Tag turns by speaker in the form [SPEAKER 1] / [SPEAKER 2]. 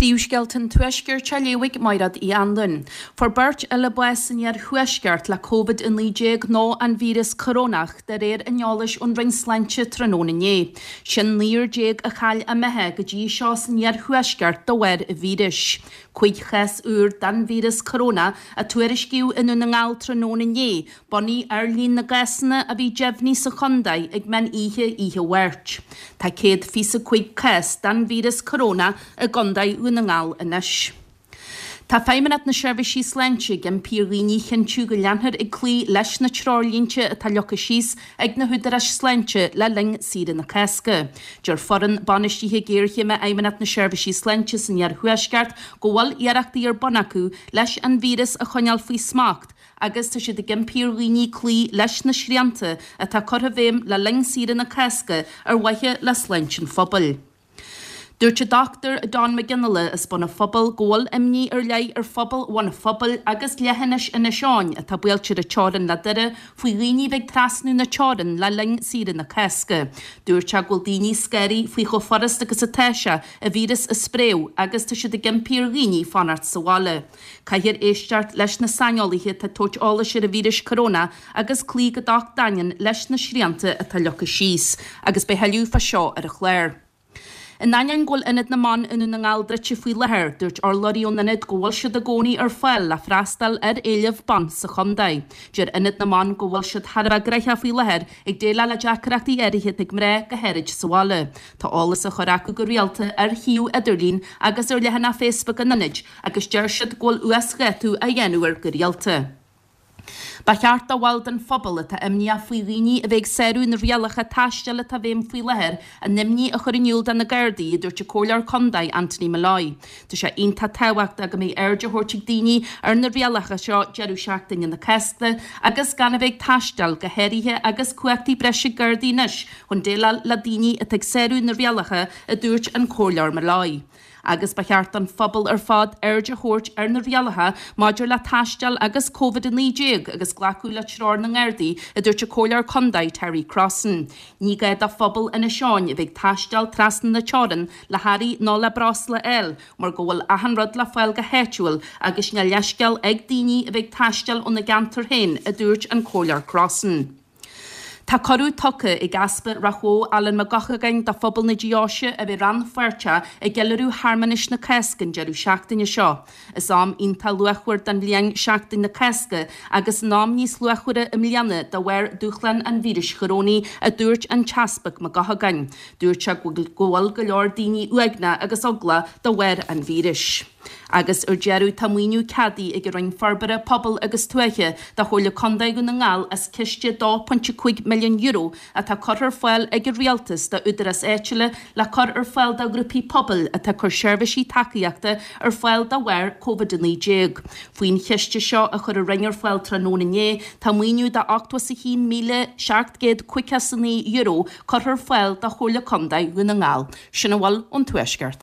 [SPEAKER 1] Príomhscéalta an Tuaiscirt á léamh ag Mairéad Uí Anluain. Fuair beirt eile bás san iarthuaisceart le Covid-19 nó an víreas corónach, de réir an eolais ón Roinn Sláinte tráthnóna inné. Sin 19 a chaill a mbeatha go dtí seo san iarthuaisceart de bharr an víris. 5 chás úr den víreas corónach a tuairiscíodh i nDún na nGall tráthnóna inné, Bunaithe ar líon na gcásanna a bhí deimhnithe sa chontae ag meán oíche oíche Mháirt, tá 125 cás den víreas corónach i gContae Dhún na nGall anois. Tá Feidhmeannacht na Seirbhísí Sláinte ag impí ar dhaoine a chinntiú go leanfar ag cloí leis na treoirlínte atá leagtha síos ag na húdaráis sláinte le linn saoire na Cásca. Deir foireann bainistithe géarchéime Fheidhmeannacht na Seirbhísí Sláinte san iarthuaisceart go bhfuil iarrachtaí ar bun acu leis an víreas a choinneáil faoi smacht agus tá siad ag impí ar dhaoine cloí leis na srianta atá curtha i bhfeidhm le linn saoire na Cásca ar mhaithe le sláinte an phobail. Dúirt an Dr Don McGinley as Bun an Phobail go bhfuil imní ar leith ar phobal Bhun an Phobail agus leithinis Inis Eoghain atá buailte ar an teorainn le Doire faoi dhaoine a bheith ag trasnú na teorann le linn saoire na Cásca. Dúirt sé go bhfuil daoine scanraithe faoi chomh furast agus atá sé an víreas a spréadh agus tá siad ag impí ar dhaoine fanacht sa bhaile. Caithfear éisteacht leis na saineolaithe atá ag tabhairt eolais ar an víreas corónach agus cloí go docht daingean leis na srianta atá leagtha síos. Agus beidh tuilleadh fá seo ar an chlár. In ainneoin go bhfuil Ionad na mBan i nDún na nGall druidte faoi láthair, dúirt urlabhraí ón ionad go bhfuil siad i gcónaí ar fáil le freastal ar éileamh ban sa chontae. Deir Ionad na mBan go bhfuil siad thar a bheith gnoitheach faoi láthair ag déileáil le deacrachtaí áirithe atá ag mná, go háirid sa bhaile. Tá eolas á chur acu go rialta ar shuíomh idirlín agus ar leathanach Facebook an ionaid agus deir siad go bhfuil uasdhátú á dhéanamh air go rialta. Ba cheart do bhaill den phobal atá imníoch faoi dhaoine a bheith ag sárú na rialacha taistil atá i bhfeidhm faoi láthair a n-imní a chur in iúl do na Gardaí, a dúirt an Comhairleoir Contae Anthony Molloy. Tá sé iontach tábhachtach go mbeidh aird á thabhairt ag daoine ar na rialacha seo deireadh seachtaine na Cásca agus gan a bheith ag taisteal, go háirithe agus cumhachtaí breise ag Gardaí anois chun déileáil le daoine atá ag sárú na rialacha, a dúirt an Comhairleoir Molloy. Agus ba cheart don phobal ar fad aird a thabhairt ar na rialacha maidir le taisteal agus Covid-19 agus glacadh le treoir na nGardaí, a dúirt an Comhairleoir Contae Terry Crossan. Ní gá do phobal Inis Eoghain a bheith ag taisteal trasna na teorann le hearraí nó le breosla a fháil mar go bhfuil achan rud le fáil go háitiúil agus níl leithscéal ag daoine a bheith ag taisteal óna gceantar féin, a dúirt an Comhairleoir Crossan. Tá cuireadh tugtha ag Easpag Ráth Bhoth Alan Mac Eochagáin do phobal na deoise a bheith rannpháirteach i gceiliúradh shearmanais na Cásca an deireadh seachtaine seo. Is am iontach luachmhar den bhliain Seachtain na Cásca agus in am níos luachmhaire i mbliana de bharr dúshlán an víris chorónaigh, a dúirt an tEaspag Mac Eochagáin. Dúirt sé go bhfuil go leor daoine uaigneach agus eaglach de bharr an víris. Agus ar deireadh, tá maoiniú ceadaithe ag an Roinn Forbartha Pobail agus Tuaithe do Chomhairle Contae Dhún na nGall as ciste €2.5 milliún atá curtha ar fáil ag an Rialtas d'údaráis áitiúla le cur ar fáil do ghrúpaí pobail atá ag cur seirbhísí tacaíochta ar fáil de bharr Covid-19. Faoin chiste seo a chuir an Roinn ar fáil tráthnóna inné, tá maoiniú de €81,759 curtha ar fáil do Chomhairle Contae Dhún na nGall. Sin a bhfuil ón Tuaisceart.